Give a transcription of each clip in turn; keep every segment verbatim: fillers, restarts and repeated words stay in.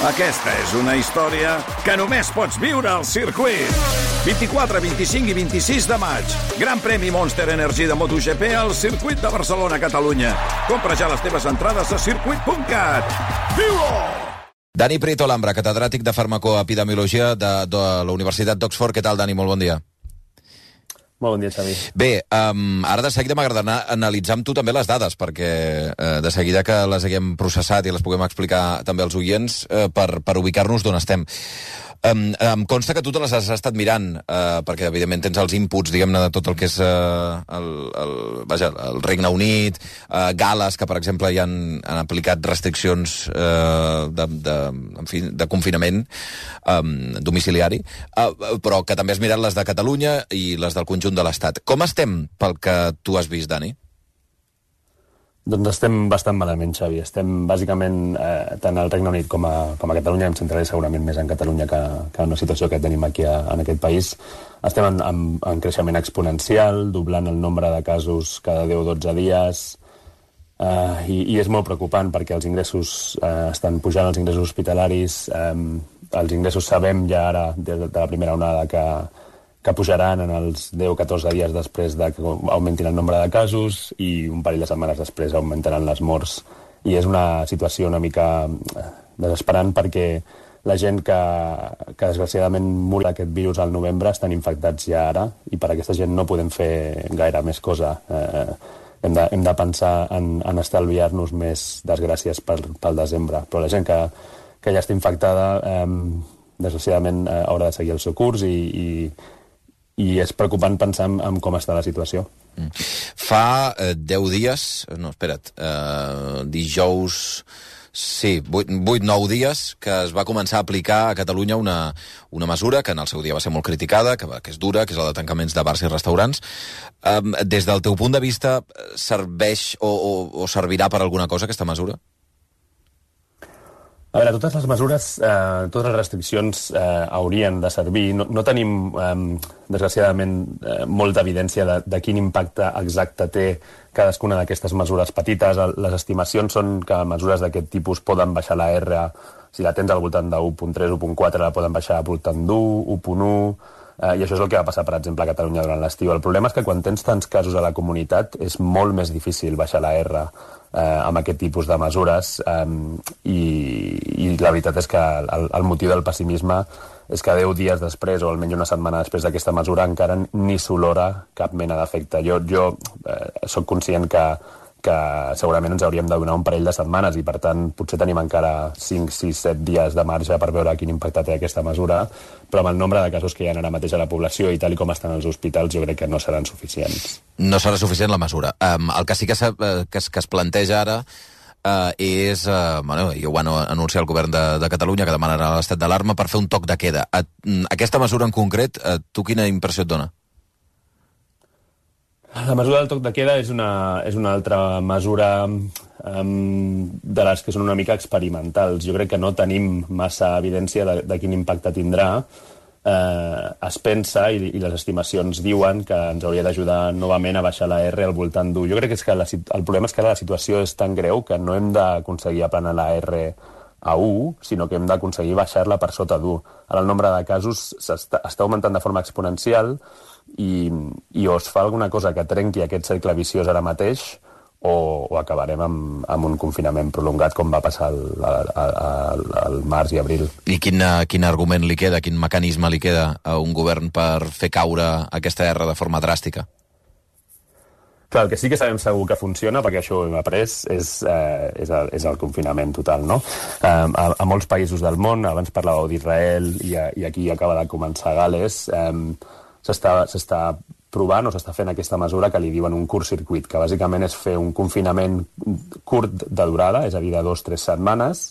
Aquesta és una història que només pots viure al circuit. vint-i-quatre, vint-i-cinc i vint-i-sis de maig. Gran premi Monster Energy de MotoGP al circuit de Barcelona, Catalunya. Compra ja les teves entrades a circuit punt cat. Viu-ho! Dani Prieto Lambra, catedràtic de farmacoepidemiologia de, de la Universitat d'Oxford. Què tal, Dani? Molt bon dia. Molt bon dia, Xavi. Bé, um, ara de seguida m'agradarà analitzar amb tu també les dades, perquè uh, de seguida que les haguem processat i les puguem explicar també als oients uh, per, per ubicar-nos d'on estem. Um, em consta que tu te les has estat mirant, uh, perquè evidentment tens els inputs, diguem-ne, de tot el que és uh, el, el, vaja, el Regne Unit, uh, Gales, que per exemple ja han, han aplicat restriccions uh, de, de, en fi, de confinament um, domiciliari, uh, però que també has mirat les de Catalunya i les del conjunt de l'Estat. Com estem pel que tu has vist, Dani? Doncs estem bastant malament, Xavi. Estem, bàsicament, eh, tant al Regne Unit com a, com a Catalunya, em centraré segurament més en Catalunya que, que en una situació que tenim aquí a, en aquest país. Estem en, en, en creixement exponencial, doblant el nombre de casos cada deu o dotze dies, eh, i, i és molt preocupant perquè els ingressos eh, estan pujant, els ingressos hospitalaris, eh, els ingressos sabem ja ara, des de la primera onada, que que pujaran en els deu o catorze dies després de que augmentin el nombre de casos i un parell de setmanes després augmentaran les morts. I és una situació una mica desesperant perquè la gent que, que desgraciadament mor d'aquest virus al novembre estan infectats ja ara i per aquesta gent no podem fer gaire més cosa. Eh, hem, de, hem de pensar en, en estalviar-nos més desgràcies pel, pel desembre. Però la gent que, que ja està infectada eh, desgraciadament eh, haurà de seguir el seu curs i, i i és preocupant pensar en, en com està la situació. Mm. Fa eh, deu dies, no, espera't, eh, dijous, sí, vuit nou dies, que es va començar a aplicar a Catalunya una, una mesura que en el seu dia va ser molt criticada, que, que és dura, que és la de tancaments de bars i restaurants. Eh, des del teu punt de vista, serveix o, o, o servirà per alguna cosa aquesta mesura? A veure, totes les mesures, eh, totes les restriccions eh, haurien de servir. No, no tenim, eh, desgraciadament, eh, molta evidència de, de quin impacte exacte té cadascuna d'aquestes mesures petites. Les estimacions són que mesures d'aquest tipus poden baixar la R, si la tens al voltant de u punt tres, u punt quatre, la poden baixar al voltant d'u, u punt u, eh, i això és el que va passar, per exemple, a Catalunya durant l'estiu. El problema és que quan tens tants casos a la comunitat és molt més difícil baixar la R Eh, amb aquest tipus de mesures eh, i, i la veritat és que el, el motiu del pessimisme és que deu dies després o almenys una setmana després d'aquesta mesura encara ni s'olora cap mena d'efecte. Jo, jo eh, soc conscient que, que segurament ens hauríem de donar un parell de setmanes i per tant potser tenim encara cinc, sis, set dies de marge per veure quin impacte té aquesta mesura, però amb el nombre de casos que hi ha ara mateix a la població i tal i com estan els hospitals jo crec que no seran suficients. No serà suficient la mesura. Um, el que sí que, se, que, es, que es planteja ara uh, és, uh, bueno, i ho van anunciar el govern de, de Catalunya, que demanarà l'estat d'alarma per fer un toc de queda. Uh, aquesta mesura en concret, uh, tu quina impressió et dona? La mesura del toc de queda és una, és una altra mesura um, de les que són una mica experimentals. Jo crec que no tenim massa evidència de, de quin impacte tindrà. Eh, es pensa, i, i les estimacions diuen que ens hauria d'ajudar novament a baixar la R al voltant d'u. Jo crec que, és que la, el problema és que ara la situació és tan greu que no hem d'aconseguir aplanar la R a u, sinó que hem d'aconseguir baixar-la per sota d'u. Ara el nombre de casos està, està augmentant de forma exponencial i, i o es fa alguna cosa que trenqui aquest cercle viciós ara mateix o, o acabarem amb, amb un confinament prolongat com va passar al, al, al, al març i abril. I quin, quin argument li queda, quin mecanisme li queda a un govern per fer caure aquesta R de forma dràstica? Clar, el que sí que sabem segur que funciona, perquè això ho hem après, és, eh, és, el, és el confinament total, no? Eh, a, a molts països del món, abans parlàveu d'Israel i, i aquí acaba de començar Gales, eh, s'està provant o s'està fent aquesta mesura que li diuen un curt circuit, que bàsicament és fer un confinament curt de durada, és a dir, de dos o tres setmanes,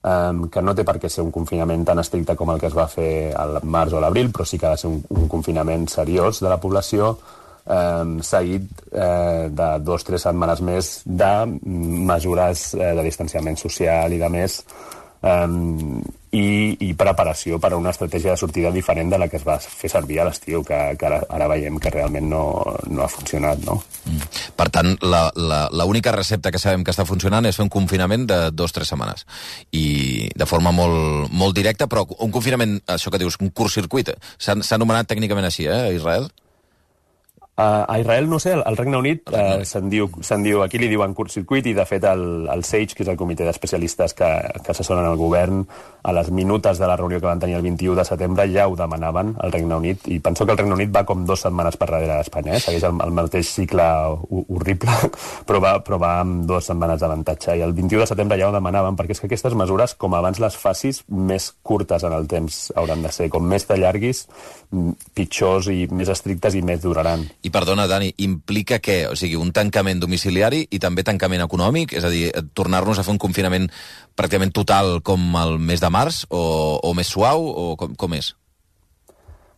eh, que no té per què ser un confinament tan estricte com el que es va fer al març o a l'abril, però sí que ha de ser un, un confinament seriós de la població, eh, seguit eh, de dos o tres setmanes més de mesures eh, de distanciament social i de més, Um, i, i preparació per a una estratègia de sortida diferent de la que es va fer servir a l'estiu, que, que ara, ara veiem que realment no, no ha funcionat, no? Mm. Per tant, l'única recepta que sabem que està funcionant és fer un confinament de dues o tres setmanes. I de forma molt, molt directa, però un confinament, això que dius, un curt-circuit, s'ha anomenat tècnicament així, eh, a Israel? Uh, a Israel, no sé, al Regne Unit uh, se'n diu, se'n diu, aquí li diuen curt-circuit, i de fet el, el SAGE, que és el comitè d'especialistes que, que assessoren el govern, a les minutes de la reunió que van tenir el vint-i-u de setembre ja ho demanaven al Regne Unit, i penso que el Regne Unit va com dues setmanes per darrere d'Espanya, eh? Segueix el, el mateix cicle horrible, però va, però va amb dues setmanes d'avantatge, i el vint-i-u de setembre ja ho demanaven, perquè és que aquestes mesures, com abans les facis, més curtes en el temps hauran de ser, com més t'allarguis, pitjors i més estrictes i més duraran. I perdona, Dani, implica què? O sigui, un tancament domiciliari i també tancament econòmic? És a dir, tornar-nos a fer un confinament pràcticament total com el mes de març? O, o més suau? O com, com és?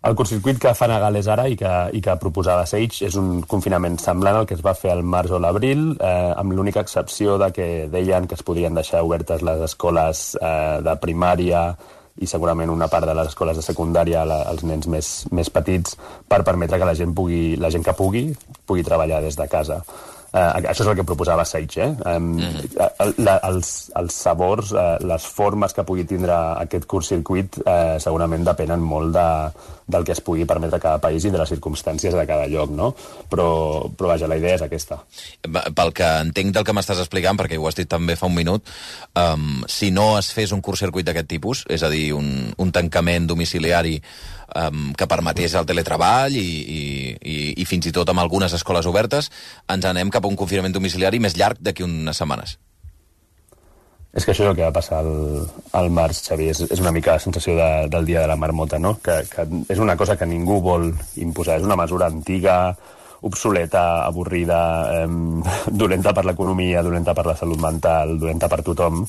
El curtcircuit que fan a Gales ara i que, i que proposava SAGE és un confinament semblant al que es va fer al març o l'abril, eh, amb l'única excepció de que deien que es podien deixar obertes les escoles eh, de primària i segurament una part de les escoles de secundària als nens més, més petits, per permetre que la gent pugui, la gent que pugui, pugui treballar des de casa. Uh, això és el que proposava SAGE, eh? Um, mm. la, els, els sabors, uh, les formes que pugui tindre aquest curt-circuit uh, segurament depenen molt de, del que es pugui permetre a cada país i de les circumstàncies de cada lloc, no? Però, però vaja, la idea és aquesta. Pel que entenc del que m'estàs explicant, perquè ho has dit també fa un minut, um, si no es fes un curt-circuit d'aquest tipus, és a dir, un, un tancament domiciliari Um, que permetés el teletreball i, i, i, i fins i tot amb algunes escoles obertes, ens anem cap a un confinament domiciliari més llarg d'aquí unes setmanes. És que això és el que va passar al, al març, Xavi. És, és una mica la sensació de, del dia de la marmota, no? Que, que és una cosa que ningú vol imposar. És una mesura antiga, obsoleta, avorrida, eh, dolenta per l'economia, dolenta per la salut mental, dolenta per tothom,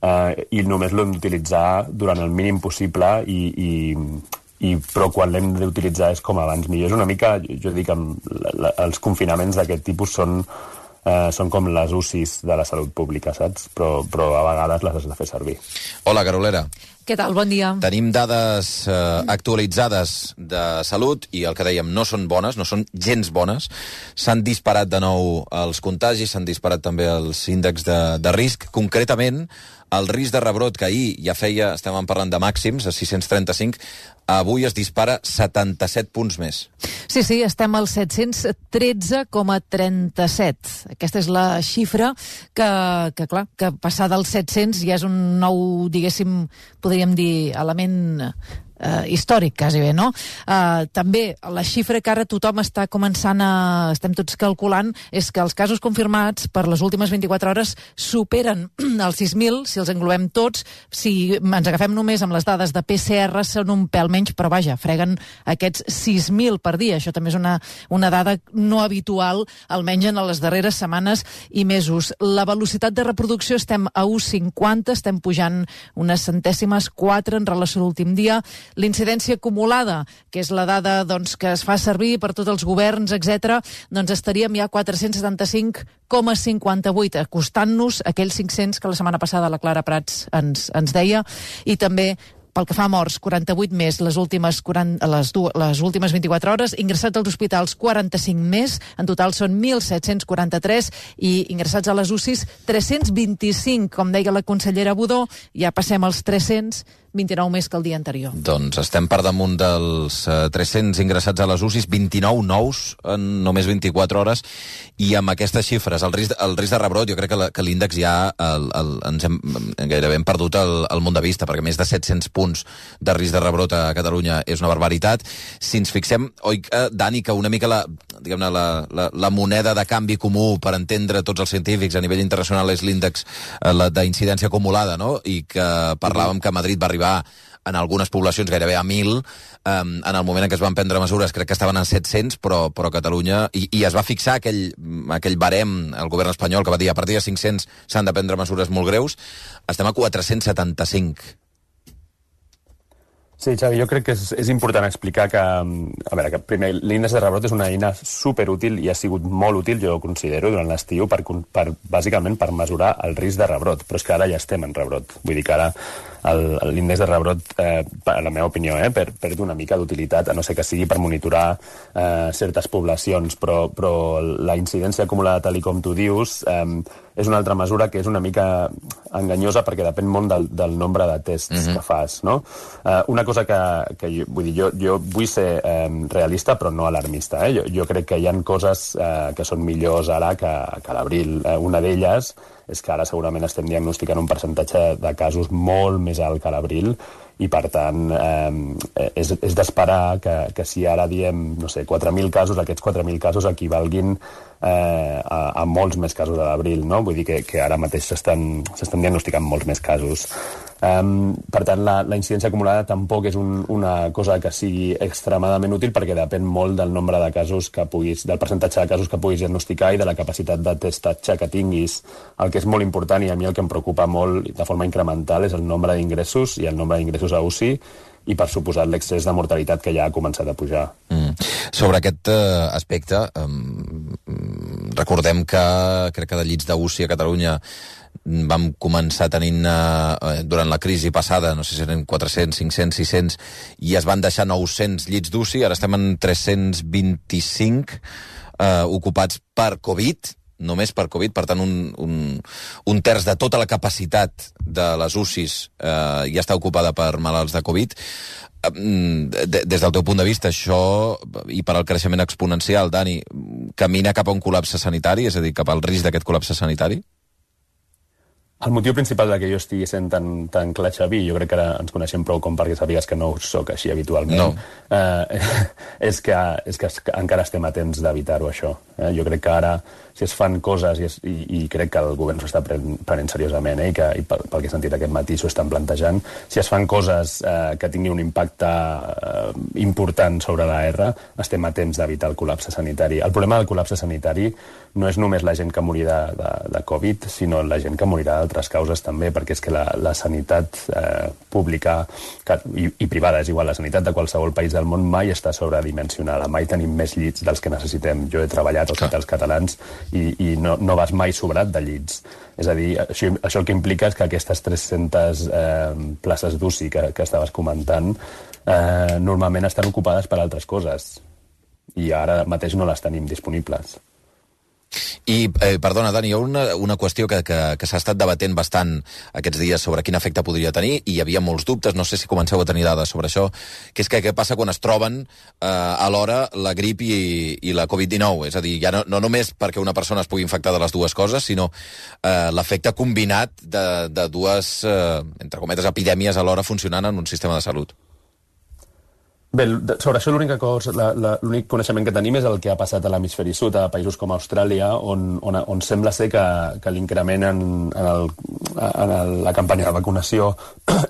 eh, i només l'hem d'utilitzar durant el mínim possible i... i I, però quan l'hem d'utilitzar és com abans millor. És una mica, jo dic, la, la, els confinaments d'aquest tipus són, eh, són com les U C Is de la salut pública, saps? Però, però a vegades les has de fer servir. Hola, Carolera. Què tal? Bon dia. Tenim dades eh, actualitzades de salut i el que dèiem no són bones, no són gens bones. S'han disparat de nou els contagis, s'han disparat també els índexs de, de risc. Concretament, el risc de rebrot, que ahir ja feia, estem parlant de màxims, a sis-cents trenta-cinc, avui es dispara setanta-set punts més. Sí, sí, estem al set-cents tretze coma trenta-set. Aquesta és la xifra que, que clar, que passar dels set-cents ja és un nou, diguéssim, podríem dir, element eh, històric, quasi bé, no? Eh, també la xifra que ara tothom està començant a... estem tots calculant, és que els casos confirmats per les últimes vint-i-quatre hores superen els sis mil, si els englobem tots. Si ens agafem només amb les dades de P C R, són un pèl menys, però vaja, freguen aquests sis mil per dia. Això també és una, una dada no habitual, almenys en les darreres setmanes i mesos. La velocitat de reproducció estem a u cinquanta, estem pujant unes centèsimes, quatre en relació a l'últim dia. L'incidència acumulada, que és la dada doncs, que es fa servir per tots els governs, etcètera, doncs estaríem ja a quatre-cents setanta-cinc coma cinquanta-vuit, acostant-nos a aquells cinc-cents que la setmana passada la Clara Prats ens, ens deia, i també pel que fa a morts, quaranta-vuit més les últimes, quaranta, les, les últimes vint-i-quatre hores, ingressats als hospitals quaranta-cinc més, en total són mil set-cents quaranta-tres i ingressats a les U C Is tres-cents vint-i-cinc, com deia la consellera Budó, ja passem als tres-cents vint-i-nou més que el dia anterior. Doncs estem per damunt dels uh, tres-cents ingressats a les U C Is, vint-i-nou nous en només vint-i-quatre hores, i amb aquestes xifres, el risc, el risc de rebrot, jo crec que, la, que l'índex ja el, el, ens hem, gairebé hem perdut el, el munt de vista, perquè més de set-cents punts de risc de rebrot a Catalunya és una barbaritat. Si ens fixem, oi, eh, Dani, que una mica la, diguem-ne, la, la, la moneda de canvi comú per entendre tots els científics a nivell internacional és l'índex eh, d'incidència acumulada, no? I que parlàvem que Madrid va arribar en algunes poblacions gairebé a mil, um, en el moment en què es van prendre mesures crec que estaven en set-cents, però, però Catalunya, i, i es va fixar aquell, aquell barem, el govern espanyol, que va dir a partir de cinc-cents s'han de prendre mesures molt greus, estem a quatre-cents setanta-cinc. Sí, Xavi, jo crec que és, és important explicar que, a veure, que primer, l'índex de rebrot és una eina superútil i ha sigut molt útil, jo ho considero, durant l'estiu, per, per, bàsicament per mesurar el risc de rebrot, però és que ara ja estem en rebrot. Vull dir que ara l'índex de rebrot, eh, per la meva opinió, eh, per, perd una mica d'utilitat, a no ser que sigui per monitorar eh, certes poblacions, però, però la incidència acumulada, tal com tu dius, eh, és una altra mesura que és una mica enganyosa perquè depèn molt del, del nombre de tests mm-hmm. que fas, no? Eh, una cosa que, que jo, vull dir, jo, jo vull ser eh, realista però no alarmista, eh? Jo, jo crec que hi ha coses eh, que són millors ara que, que a l'abril. Eh, una d'elles és que ara segurament estem diagnosticant un percentatge de casos molt més alt que a l'abril i, per tant, eh, és, és d'esperar que, que si ara diem, no sé, quatre mil casos, aquests quatre mil casos equivalguin eh, a, a molts més casos a l'abril, no? Vull dir que, que ara mateix s'estan s'estan diagnosticant molts més casos. Um, per tant, la, la incidència acumulada tampoc és un, una cosa que sigui extremadament útil perquè depèn molt del nombre de casos que puguis, del percentatge de casos que puguis diagnosticar i de la capacitat de testatge que tinguis. El que és molt important i a mi el que em preocupa molt de forma incremental és el nombre d'ingressos i el nombre d'ingressos a U C I i, per suposat, l'excés de mortalitat que ja ha començat a pujar. Mm. Sobre aquest uh, aspecte, um, recordem que crec que de llits d'U C I a Catalunya vam començar tenint eh, durant la crisi passada, no sé si eren quatre-cents, cinc-cents, sis-cents, i es van deixar nou-cents llits d'U C I, ara estem en tres-cents vint-i-cinc eh, ocupats per Covid, només per Covid, per tant un, un, un terç de tota la capacitat de les U C Is eh, ja està ocupada per malalts de Covid. Des del teu punt de vista, això, i per al creixement exponencial, Dani, camina cap a un col·lapse sanitari, és a dir, cap al risc d'aquest col·lapse sanitari? El motiu principal de que jo estigui sent tan, tan clar, Xavi, jo crec que ara ens coneixem prou com perquè sàpigues que no ho soc així habitualment, no. eh, és, que, és que encara estem a temps d'evitar-ho, això. Eh? Jo crec que ara, si es fan coses, i, es, i, i crec que el govern s'ho està pren, prenent seriosament, eh? I, que, i pel, pel que he sentit aquest matí s'ho estan plantejant, si es fan coses eh, que tinguin un impacte eh, important sobre la R, estem a temps d'evitar el col·lapse sanitari. El problema del col·lapse sanitari no és només la gent que morirà de, de Covid, sinó la gent que morirà d'altres causes també, perquè és que la, la sanitat eh, pública que, i, i privada, és igual, la sanitat de qualsevol país del món mai està sobredimensionada, mai tenim més llits dels que necessitem. Jo he treballat als hospitals catalans i, i no, no vas mai sobrat de llits. És a dir, això, això el que implica és que aquestes tres-centes eh, places d'U C I que, que estaves comentant eh, normalment estan ocupades per altres coses i ara mateix no les tenim disponibles. I, eh, perdona, Dani, hi ha una, una qüestió que, que, que s'ha estat debatent bastant aquests dies sobre quin efecte podria tenir, i hi havia molts dubtes, no sé si comenceu a tenir dades sobre això, que és que què passa quan es troben eh, alhora la grip i, i la Covid dinou, és a dir, ja no, no només perquè una persona es pugui infectar de les dues coses, sinó eh, l'efecte combinat de, de dues, eh, entre cometes, epidèmies alhora funcionant en un sistema de salut. Bé, sobre això l'únic coneixement que tenim és el que ha passat a l'hemisferi sud, a països com Austràlia, on, on, on sembla ser que, que l'increment en, en, el, en el, la campanya de vacunació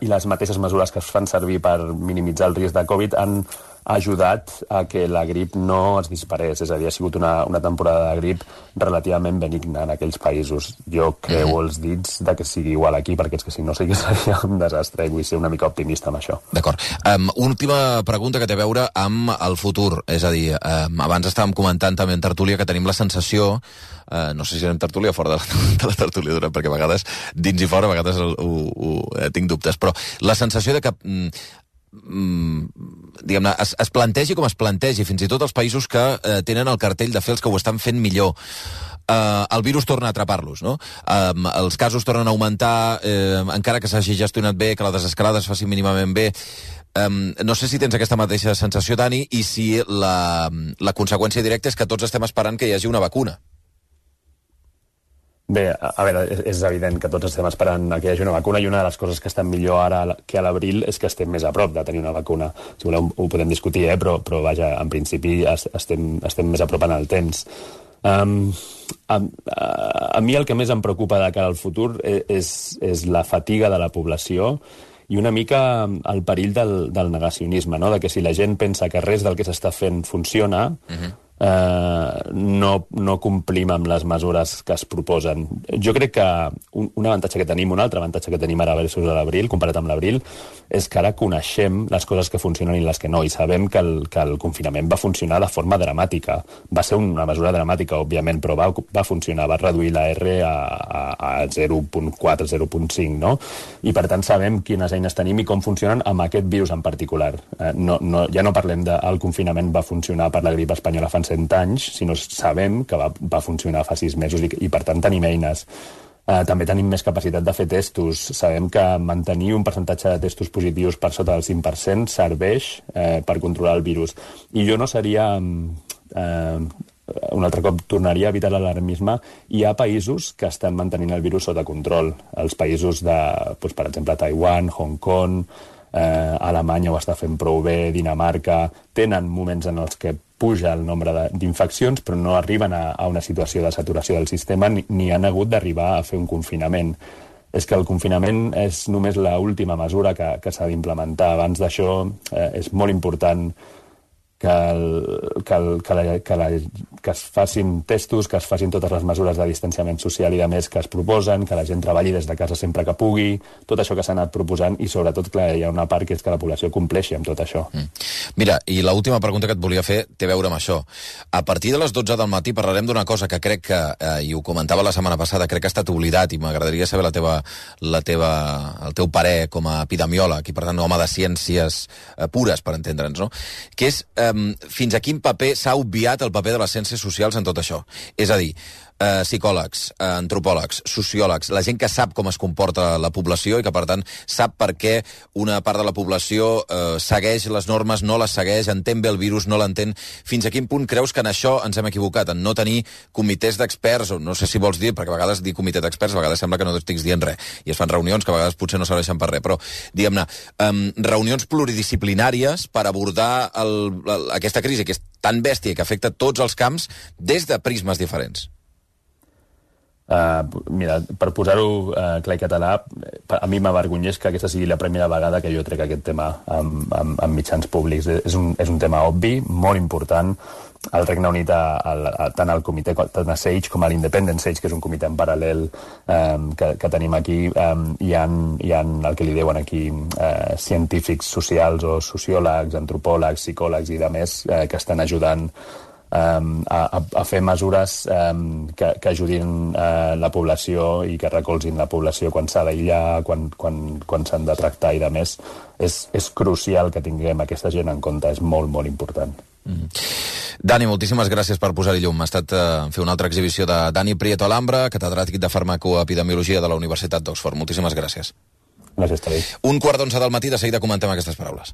i les mateixes mesures que es fan servir per minimitzar el risc de Covid han ajudat a que la grip no es disparés. És a dir, ha sigut una, una temporada de grip relativament benigna en aquells països. Jo creu mm. els dits de que sigui igual aquí, perquè és que si no sí que seria un desastre i vull ser una mica optimista amb això. D'acord. Um, última pregunta que té a veure amb el futur. És a dir, um, abans estàvem comentant també en tertúlia que tenim la sensació, uh, no sé si anem tertúlia o fora de la, de la tertúlia, durant, perquè a vegades dins i fora, a vegades ho, ho, ho, eh, tinc dubtes, però la sensació de que mm, diguem-ne, es, es plantegi com es plantegi, fins i tot els països que eh, tenen el cartell de fer els que ho estan fent millor, eh, el virus torna a atrapar-los, no? Eh, els casos tornen a augmentar, eh, encara que s'hagi gestionat bé, que la desescalada es faci mínimament bé. Um, no sé si tens aquesta mateixa sensació, Dani, i si la, la conseqüència directa és que tots estem esperant que hi hagi una vacuna. Bé, a veure, és evident que tots estem esperant que hi hagi una vacuna, i una de les coses que estan millor ara que a l'abril és que estem més a prop de tenir una vacuna. Si voleu ho podem discutir, eh? però, però vaja, en principi estem, estem més a prop en el temps. Um, a, a, a mi el que més em preocupa de cara al futur és, és la fatiga de la població i una mica el perill del, del negacionisme, no? De que si la gent pensa que res del que s'està fent funciona, uh-huh. Uh, no, no complim amb les mesures que es proposen. Jo crec que un, un avantatge que tenim, un altre avantatge que tenim ara versus a l'abril, comparat amb l'abril, és que ara coneixem les coses que funcionen i les que no, i sabem que el, que el confinament va funcionar de forma dramàtica. Va ser una mesura dramàtica, òbviament, però va, va funcionar, va reduir la R a, a, a zero coma quatre, zero coma cinc, no? I per tant sabem quines eines tenim i com funcionen amb aquest virus en particular. Uh, no, no, ja no parlem de el confinament va funcionar per la grip espanyola fa cent anys, sinó sabem que va, va funcionar fa sis mesos i, i per tant tenim eines. Uh, també tenim més capacitat de fer testos. Sabem que mantenir un percentatge de testos positius per sota del cinc per cent serveix uh, per controlar el virus. I jo no seria... Uh, un altre cop tornaria a evitar l'alarmisme. Hi ha països que estan mantenint el virus sota control. Els països de, doncs, per exemple, Taiwan, Hong Kong, eh, Alemanya ho està fent prou bé, Dinamarca, tenen moments en els que puja el nombre d'infeccions, però no arriben a, a una situació de saturació del sistema ni, ni han hagut d'arribar a fer un confinament. És que el confinament és només l'última mesura que, que s'ha d'implementar. Abans d'això eh, és molt important que, el, que, el, que, la, que, la, que es facin testos, que es facin totes les mesures de distanciament social i de més que es proposen, que la gent treballi des de casa sempre que pugui, tot això que s'ha anat proposant i sobretot, clar, hi ha una part que és que la població compleixi amb tot això. Mm. Mira, i l'última pregunta que et volia fer té a veure amb això. A partir de les dotze del matí parlarem d'una cosa que crec que, eh, i ho comentava la setmana passada, crec que ha estat oblidat i m'agradaria saber la teva, la teva, el teu parer com a epidemiòleg i per tant home de ciències eh, pures, per entendre'ns, no? Que és eh, fins a quin paper s'ha obviat el paper de les ciències socials en tot això. És a dir, eh, psicòlegs, eh, antropòlegs, sociòlegs, la gent que sap com es comporta la població i que, per tant, sap per què una part de la població eh, segueix les normes, no les segueix, entén bé el virus, no l'entén. Fins a quin punt creus que en això ens hem equivocat, en no tenir comitès d'experts, o no sé si vols dir, perquè a vegades dir comitè d'experts, a vegades sembla que no estiguis dient res, i es fan reunions que a vegades potser no serveixen per res, però, diguem-ne, eh, reunions pluridisciplinàries per abordar el, el, aquesta crisi que és tan bèstia que afecta tots els camps des de prismes diferents. Uh, mira, per posar-ho uh, clar i català, a mi m'avergonyeix que aquesta sigui la primera vegada que jo trec aquest tema amb, amb, amb mitjans públics. És un, és un tema obvi, molt important. Al Regne Unit, a, a, tant al comitè, tant a SAGE com a l'Independent SAGE, que és un comitè en paral·lel um, que, que tenim aquí, um, hi, ha, hi ha el que li deuen aquí uh, científics socials o sociòlegs, antropòlegs, psicòlegs i de més uh, que estan ajudant um, a, a fer mesures um, que, que ajudin uh, la població i que recolzin la població quan s'ha d'aïllar, quan, quan, quan s'han de tractar i de més. És, és crucial que tinguem aquesta gent en compte, és molt, molt important. Mm. Dani, moltíssimes gràcies per posar-hi llum. Ha estat eh, fer una altra exhibició de Dani Prieto Alhambra, catedràtic de farmacoepidemiologia de la Universitat d'Oxford. Moltíssimes gràcies. Gràcies, Tadei. Un quart d'onze del matí, de seguida comentem aquestes paraules.